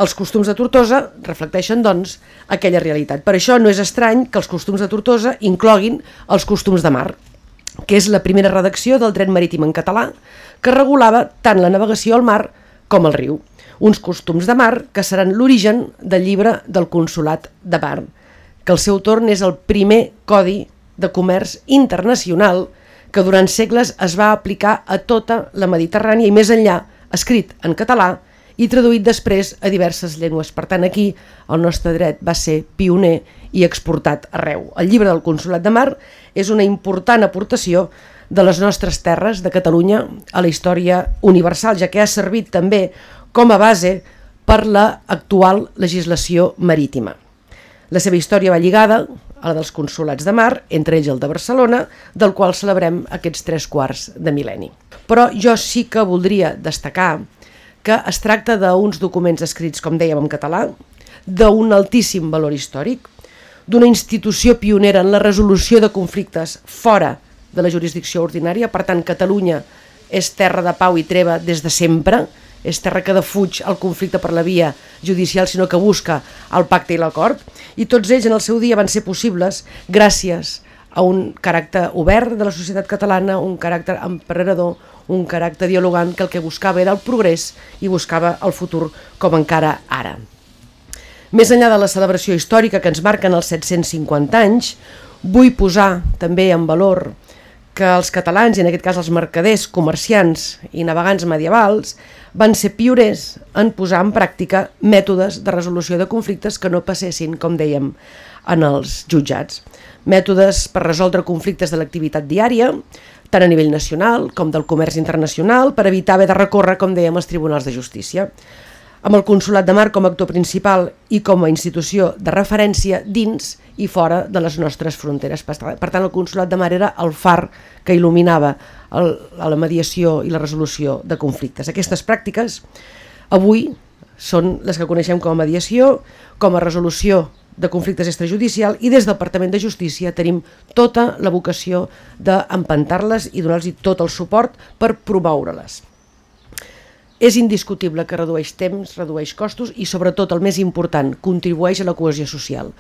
Els costums de Tortosa reflecteixen, doncs, aquella realitat. Per això no és estrany que els costums de Tortosa incloguin els costums de mar, que és la primera redacció del dret marítim en català, que regulava tant la navegació al mar com al riu. Uns costums de mar que seran l'origen del llibre del Consolat de Mar, que al seu torn és el primer codi de comerç internacional que durant segles es va aplicar a tota la Mediterrània i més enllà, escrit en català i traduït després a diverses llengües. Per tant, aquí el nostre dret va ser pioner i exportat arreu. El llibre del Consolat de Mar és una important aportació de les nostres terres de Catalunya a la història universal, ja que ha servit també com a base per l'actual legislació marítima. La seva història va lligada a la dels consolats de mar, entre ells el de Barcelona, del qual celebrem aquests 3/4 de mil·lenni. Però jo sí que voldria destacar que es tracta d'uns documents escrits, com dèiem, en català, d'un altíssim valor històric, d'una institució pionera en la resolució de conflictes fora de la jurisdicció ordinària. Per tant, Catalunya és terra de pau i treva des de sempre, és terra que defuig el conflicte per la via judicial, sinó que busca el pacte i l'acord, i tots ells en el seu dia van ser possibles gràcies a un caràcter obert de la societat catalana, un caràcter emprenedor, un caràcter dialogant que el que buscava era el progrés i buscava el futur com encara ara. Més enllà de la celebració històrica que ens marquen els 750 anys, vull posar també en valor que els catalans, i en aquest cas els mercaders, comerciants i navegants medievals, van ser pioners en posar en pràctica mètodes de resolució de conflictes que no passessin, com dèiem, en els jutjats. Mètodes per resoldre conflictes de l'activitat diària, tant a nivell nacional com del comerç internacional, per evitar haver de recórrer, com dèiem, als tribunals de justícia. Amb el Consolat de Mar com a actor principal i com a institució de referència dins i fora de les nostres fronteres. Per tant, el Consolat de Mar era el far que il·luminava la mediació i la resolució de conflictes. Aquestes pràctiques avui són les que coneixem com a mediació, com a resolució de conflictes extrajudicial, i des del Departament de Justícia tenim tota la vocació d'empantar-les i donar-los tot el suport per promoure-les. És indiscutible que redueix temps, redueix costos i, sobretot, el més important, contribueix a la cohesió social.